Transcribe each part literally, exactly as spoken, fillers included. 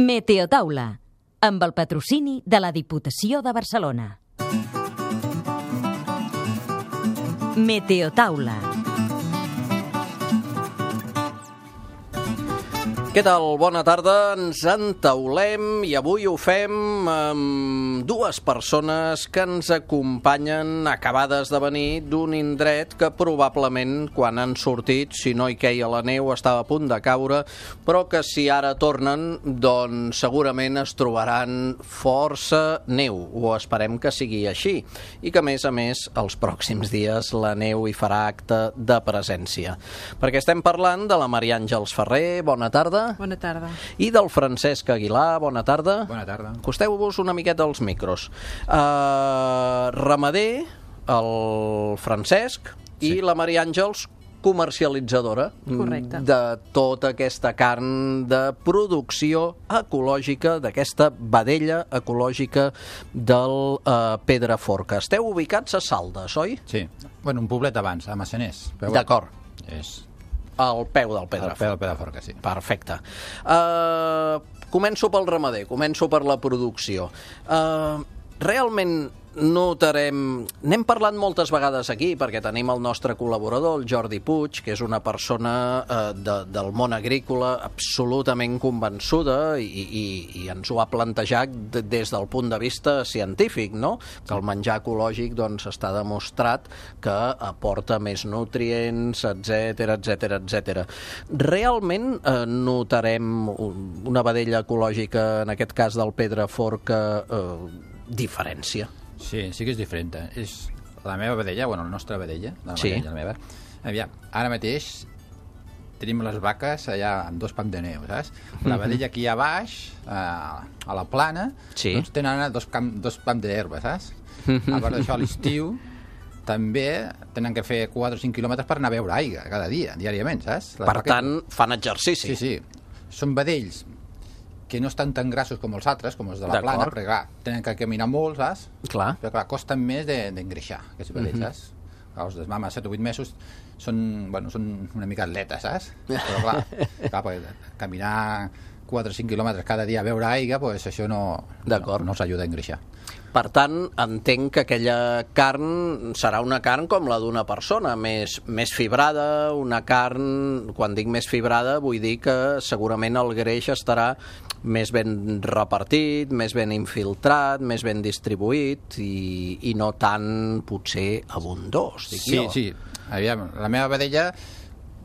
Meteotaula, amb el patrocini de la Diputació de Barcelona. Meteotaula. Què tal? Bona tarda, ens entaulem i avui ho fem amb dues persones que ens acompanyen acabades de venir d'un indret que probablement quan han sortit, si no hi queia la neu, estava a punt de caure, però que si ara tornen, doncs segurament es trobaran força neu, o esperem que sigui així, i que a més a més els pròxims dies la neu hi farà acte de presència. Perquè estem parlant de la Maria Àngels Ferrer, bona tarda. Bona tarda. I del Francesc Aguilar, bona tarda. Bona tarda. Acosteu-vos una miqueta als micros. Uh, ramader, el Francesc, sí. I la Maria Àngels, comercialitzadora. Correcte. De tota aquesta carn de producció ecològica, d'aquesta vedella ecològica del uh, Pedraforca. Esteu ubicats a Saldes, oi? Sí. Bueno, un poblet abans, a Massaners. D'acord. És... Al peu del Pedraforca. Al peu del Pedraforca, sí. Perfecte. Uh, començo pel ramader, començo per la producció. Uh, realment notarem... N'hem parlat moltes vegades aquí, perquè tenim el nostre col·laborador, el Jordi Puig, que és una persona eh, de, del món agrícola absolutament convençuda i, i, i ens ho ha plantejat de, des del punt de vista científic, no? Que el menjar ecològic doncs, està demostrat que aporta més nutrients, etcètera, etcètera, etcètera. Realment eh, notarem una vedella ecològica, en aquest cas del Pedraforca, eh, diferència? Sí, sí que és diferent. És la meva vedella, bueno, la nostra vedella, la sí. vedella, la meva. Aviam, ara mateix tenim les vaques allà amb dos pams de neu, saps? La vedella aquí a baix, a, a la plana, sí. Doncs tenen dos, camp, dos pams d'herba, saps? A part d'això, a l'estiu també tenen que fer quatre o cinc quilòmetres per anar a beure aigua cada dia, diàriament, saps? Les per vaques... tant, fan exercici. Sí, sí. Són vedells que no estan tan grassos com els altres, com els de la plana, perquè clar, tenen que caminar molt, saps? Clar. Però clar, costen més d'engreixar, de, aquests vedells, uh-huh. saps? Els de mama, set o vuit mesos, són, bueno, són una mica atletes, saps? Però clar, clar perquè caminar quatre o cinc quilòmetres cada dia a beure aigua, pues això no, no, no els ajuda a engreixar. Per tant, entenc que aquella carn serà una carn com la d'una persona, més, més fibrada, una carn, quan dic més fibrada, vull dir que segurament el greix estarà més ben repartit, més ben infiltrat, més ben distribuït i, i no tan, potser, abundós, dic sí, jo. Sí, sí. Aviam, la meva vedella,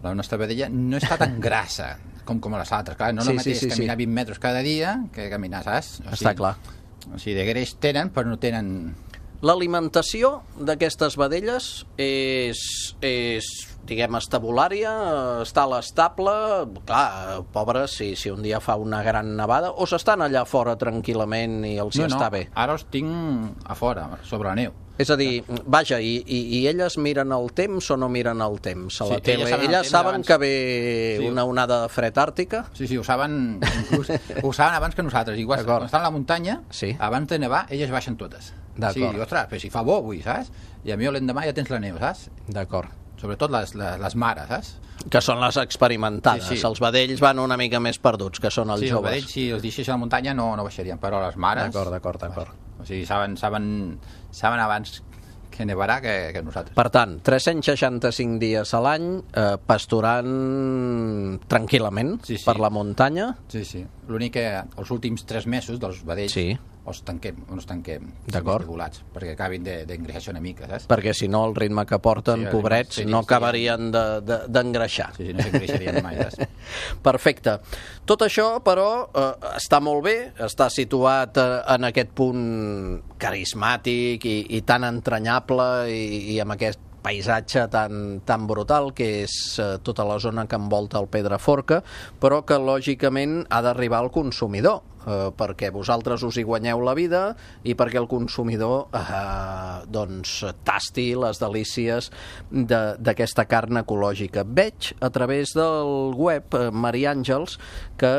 la nostra vedella, no està tan grassa com, com les altres. Clar, no és sí, el mateix sí, sí, caminar sí. vint metres cada dia que caminar, saps? O sigui, està clar. O sigui, de greix tenen, però no tenen... L'alimentació d'aquestes vedelles és, és diguem, estabulària, està a l'estable, clar, pobres, si, si un dia fa una gran nevada, o s'estan allà fora tranquil·lament i els hi no, està no, bé? Ara els tinc a fora, sobre la neu. És a dir, vaja, i, i, i elles miren el temps o no miren el temps a la sí, tele? Elles saben, elles saben abans... que ve sí. una onada de fred àrtica? Sí, sí, ho saben, inclús, ho saben abans que nosaltres. Igual, quan estan a la muntanya, sí. abans de nevar, elles baixen totes. D'acord. Sí, diu, ostres, però si fa bo avui, saps? I a mi l'endemà ja tens la neu, saps? D'acord. Sobretot les, les, les mares, saps? Que són les experimentades. Sí, sí. Els vedells van una mica més perduts, que són els sí, joves. Sí, els vedells, si els deixés a la muntanya no, no baixarien, però les mares... D'acord, d'acord, d'acord. O sigui, saben, saben, saben abans que nevarà que, que nosaltres. Per tant, tres-cents seixanta-cinc dies a l'any eh, pasturant tranquil·lament sí, sí. per la muntanya. Sí, sí. L'únic que els últims tres mesos dels vedells sí. els tanquem, els tanquem regulats, perquè acabin d'engreixar una mica, saps? Perquè si no el ritme que porten, sí, pobrets, sí, no acabarien d'engreixar. De, de, sí, sí, no s'engreixarien mai, saps? Perfecte. Tot això, però, eh, està molt bé, està situat eh, en aquest punt carismàtic i, i tan entranyable i, i amb aquest paisatge tan, tan brutal que és eh, tota la zona que envolta el Pedraforca, però que lògicament ha d'arribar al consumidor, eh, perquè vosaltres us hi guanyeu la vida i perquè el consumidor eh, doncs tasti les delícies d'aquesta carn ecològica. Veig a través del web, eh, Maria Àngels, que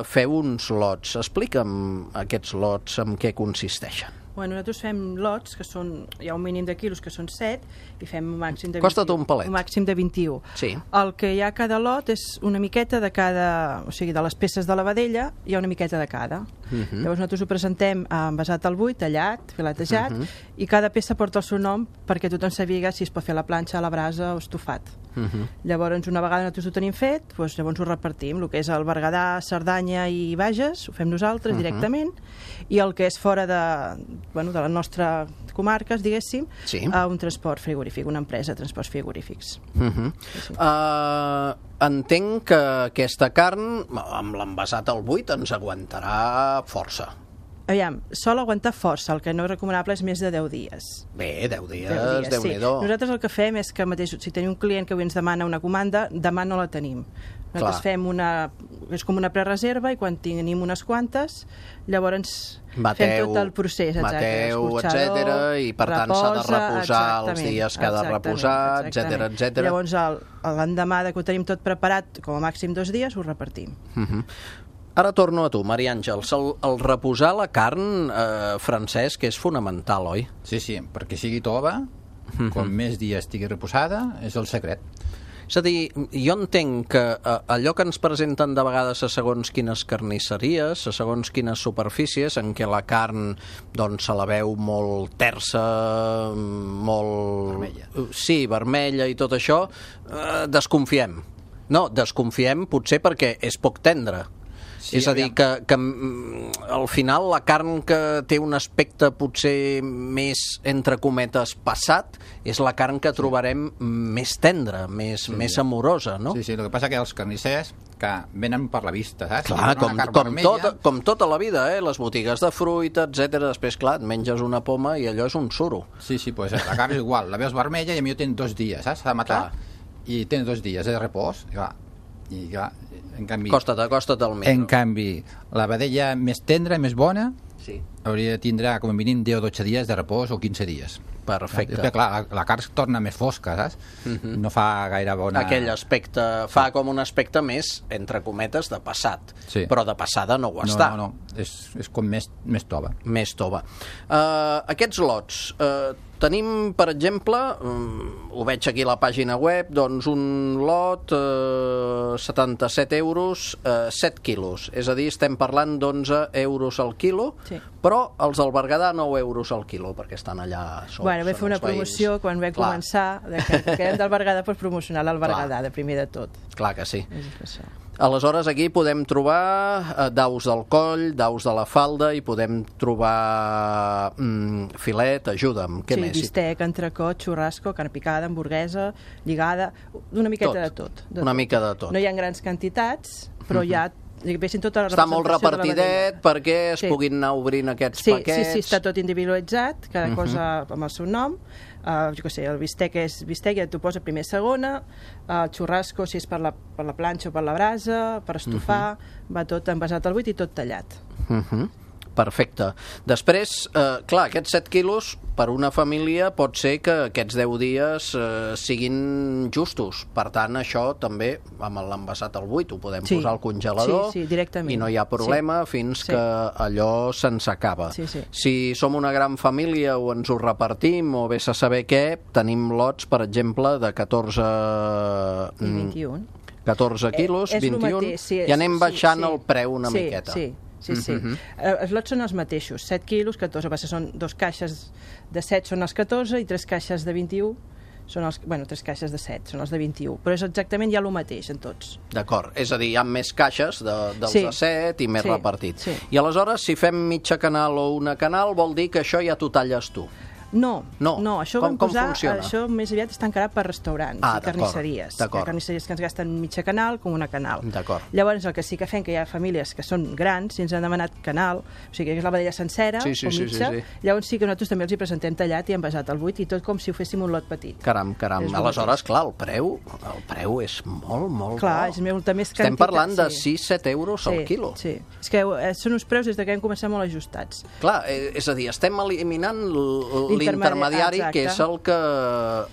feu uns lots. Explica'm aquests lots en què consisteixen. Bueno, nosaltres fem lots, que són, hi ha un mínim de quilos, que són set, i fem un màxim de Costa't vint-i-u. un palet. Un màxim de vint-i-u. Sí. El que hi ha a cada lot és una miqueta de cada... O sigui, de les peces de la vedella hi ha una miqueta de cada. Uh -huh. Llavors nosaltres ho presentem envasat al buit, tallat, filetejat, uh -huh. i cada peça porta el seu nom perquè tothom sabia si es pot fer a la planxa, a la brasa o estofat. Uh -huh. Llavors, una vegada nosaltres ho tenim fet, doncs, llavors ho repartim. El que és el Berguedà, Cerdanya i Bages, ho fem nosaltres uh -huh. directament, i el que és fora de, bueno, de les nostres comarques, diguéssim, sí. a un transport frigorífic, una empresa de transports frigorífics. Uh -huh. sí. uh, entenc que aquesta carn, amb l'envasat al buit, ens aguantarà força. Aviam, sol aguantar força, el que no és recomanable és més de deu dies. Bé, deu dies, deu dies Déu-n'hi-do. Sí. Nosaltres el que fem és que mateix, si tenim un client que avui ens demana una comanda, demà no la tenim. Nosaltres Clar. fem una... és com una prereserva i quan tenim unes quantes, llavors Bateu, fem tot el procés, exacte, bateu, etcètera, i per tant s'ha de reposar els dies que ha de reposar, etcètera, etcètera. Llavors l'endemà que ho tenim tot preparat, com a màxim dos dies, ho repartim. Uh -huh. Ara torno a tu, Maria Àngels. El, el reposar la carn, eh, Francesc, és fonamental, oi? Sí, sí, perquè sigui tova, uh -huh. com més dies estigui reposada, és el secret. És a dir, jo entenc que eh, allò que ens presenten de vegades a segons quines carnisseries, a segons quines superfícies, en què la carn doncs, se la veu molt tersa, molt... Vermella. Sí, vermella i tot això, eh, desconfiem. No, desconfiem potser perquè és poc tendre. Sí, és a dir, que, que al final la carn que té un aspecte potser més, entre cometes, passat, és la carn que trobarem més tendra, més, sí, més amorosa, no? Sí, sí, el que passa que els carnissers que venen per la vista, saps? Clar, com, com, tot, com tota la vida, eh? Les botigues de fruita, etcètera. Després, clar, et menges una poma i allò és un suro. Sí, sí, pues la carn és igual, la veus vermella i a mi ho tenen dos dies, saps? S'ha de matar, clar. I tenen dos dies de repòs, i va, i clar, en canvi... Costa't, acosta't al micro. En canvi, la vedella més tendra, més bona, sí. hauria de tindre com a mínim deu o dotze dies de repòs o quinze dies. Perfecte. Després, clar, la, la carn es torna més fosca, saps? Uh-huh. No fa gaire bona... Aquell aspecte, fa com un aspecte més, entre cometes, de passat. Sí. Però de passada no ho no, està. No, no, és, és com més, més tova. Més tova. Uh, aquests lots, uh, tenim, per exemple, um, ho veig aquí a la pàgina web, doncs un lot, uh, setanta-set euros, uh, set quilos. És a dir, estem parlant d'onze euros al quilo, sí. però els del Berguedà nou euros al quilo, perquè estan allà sols. Bueno, vam fer una promoció quan vam Clar. començar, de que, que érem del Berguedà, per promocionar el Berguedà, de primer de tot. Clar que sí. És això. Aleshores, aquí podem trobar eh, daus del coll, daus de la falda, i podem trobar mm, filet, ajuda'm, què sí, més? Sí, bistec, entrecot, xurrasco, carn picada, hamburguesa, lligada, una miqueta tot. de tot. De una tot. mica de tot. No hi ha grans quantitats, però uh -huh. hi ha tota la està molt repartidet perquè es sí. puguin anar obrint aquests sí, paquets. Sí, sí, està tot individualitzat, cada uh -huh. cosa amb el seu nom. Uh, jo què sé, el bistec és bistec, ja t'ho posa primer segona, uh, el xurrasco, si és per la, per la planxa o per la brasa, per estofar, uh -huh. va tot envasat al buit i tot tallat. Uh -huh. Perfecte. Després, eh, clar, aquests set quilos per una família pot ser que aquests deu dies eh, siguin justos. Per tant, això també, amb l'envasat al buit, ho podem sí. posar al congelador sí, sí, directament. i no hi ha problema sí. fins sí. que allò se'ns acaba. Sí, sí. Si som una gran família o ens ho repartim o vés a saber què, tenim lots, per exemple, de catorze... I vint-i-un. catorze quilos, eh, vint-i-un, mateix, sí, i anem baixant sí, sí. el preu una sí, miqueta. Sí, sí, sí. Uh-huh. Els lots són els mateixos, set quilos, catorze, va ser, són dos caixes de set són els catorze i tres caixes de vint-i-un són els, bueno, tres caixes de set són els de vint-i-un, però és exactament ja el mateix en tots. D'acord, és a dir, hi ha més caixes de, dels sí. de set i més sí. repartit. Sí. I aleshores, si fem mitja canal o una canal, vol dir que això ja t'ho talles tu. No, no, no, això com, vam posar, com funciona? Això més aviat està encarat per restaurants ah, i carnisseries. Hi ha carnisseries que ens gasten mitja canal com una canal. Llavors el que sí que fem, que hi ha famílies que són grans i ens han demanat canal, o sigui que és la vedella sencera sí, sí, o mitja, sí, sí, sí. llavors sí que nosaltres també els hi presentem tallat i envasat al buit i tot com si ho féssim un lot petit. Caram, caram, aleshores, clar, el preu, el preu és molt, molt clar, bo. és molta més quantitat. Estem parlant de sí. sis set euros sí, al quilo. Sí, és que són uns preus des que hem començat molt ajustats. Clar, és a dir, estem eliminant l'intermediari, que és el que,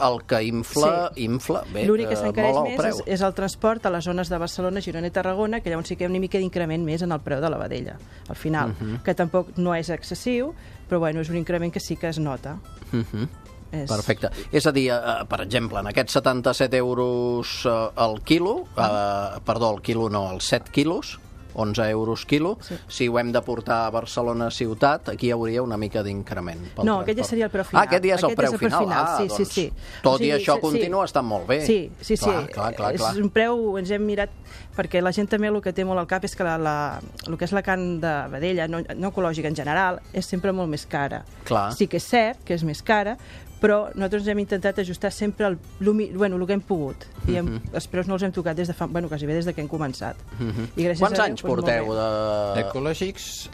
el que infla, sí. infla bé, l'únic que eh, s'encareix molt el més preu. és, és el transport a les zones de Barcelona, Girona i Tarragona, que llavors sí que hi ha una mica d'increment més en el preu de la vedella, al final, uh -huh. que tampoc no és excessiu, però bueno, és un increment que sí que es nota. Uh -huh. És... Perfecte. És a dir, eh, per exemple, en aquests setanta-set euros eh, al quilo, eh, perdó, al quilo no, als set quilos, onze euros quilo, sí. Si ho hem de portar a Barcelona ciutat, aquí hi hauria una mica d'increment. No, transport. Aquest ja seria el preu final. Ah, aquest ja és el aquest preu és el preu final. final. Ah, sí, doncs, sí, sí. tot o sigui, i això sí, continua estant molt bé. Sí, sí, sí. Clar, clar, clar, clar. És un preu, ens hem mirat, perquè la gent també el que té molt al cap és que la, la, el que és la carn de vedella, no, no ecològica en general, és sempre molt més cara. Clar. Sí que és cert que és més cara, però nosaltres hem intentat ajustar sempre el, el, bueno, el que hem pogut. I hem, uh -huh. els preus no els hem tocat des de fa, bueno, quasi bé des de que hem començat. Uh -huh. I gràcies Quants a Déu, anys doncs, porteu de... Ecològics,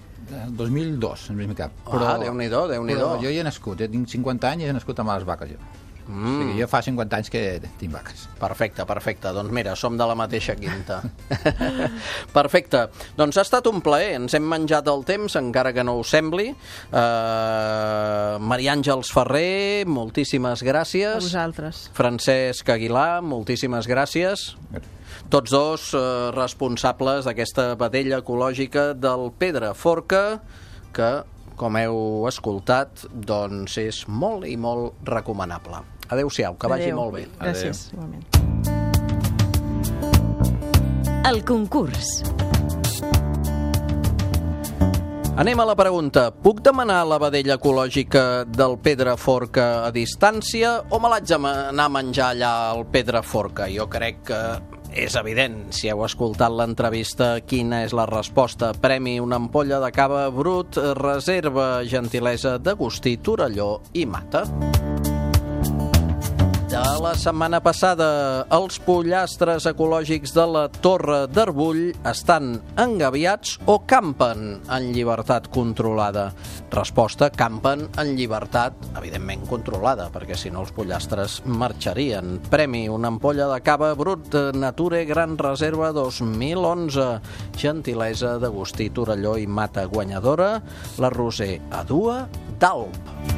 dos mil dos, en primer cap. Però, ah, Déu-n'hi-do, Déu-n'hi-do. Però jo hi he nascut, jo tinc cinquanta anys i he nascut amb les vaques, jo. Mm. O sigui, jo fa cinquanta anys que tinc vaques. Perfecte, perfecte. Doncs mira, som de la mateixa quinta. Perfecte. Doncs ha estat un plaer. Ens hem menjat el temps, encara que no ho sembli. Uh, Maria Àngels Ferrer, moltíssimes gràcies. A vosaltres. Francesc Aguilar, moltíssimes gràcies. Tots dos eh, responsables d'aquesta vedella ecològica del Pedraforca, que, com heu escoltat, doncs és molt i molt recomanable. Adéu-siau, que vagi Adéu. molt bé. Gràcies, igualment. El concurs. Anem a la pregunta. Puc demanar la vedella ecològica del Pedraforca a distància o me l'haig d'anar a menjar allà al Pedraforca? Jo crec que és evident, si heu escoltat l'entrevista, quina és la resposta. Premi una ampolla de cava brut, reserva gentilesa d'Agustí, Torelló i Mata. De la setmana passada, els pollastres ecològics de la Torre d'Arbull estan engaviats o campen en llibertat controlada? Resposta, campen en llibertat, evidentment controlada, perquè si no els pollastres marxarien. Premi, una ampolla de cava brut de Nature Gran Reserva dos mil onze. Gentilesa d'Agustí, Torelló i Mata, guanyadora, la Roser Adua d'Alp.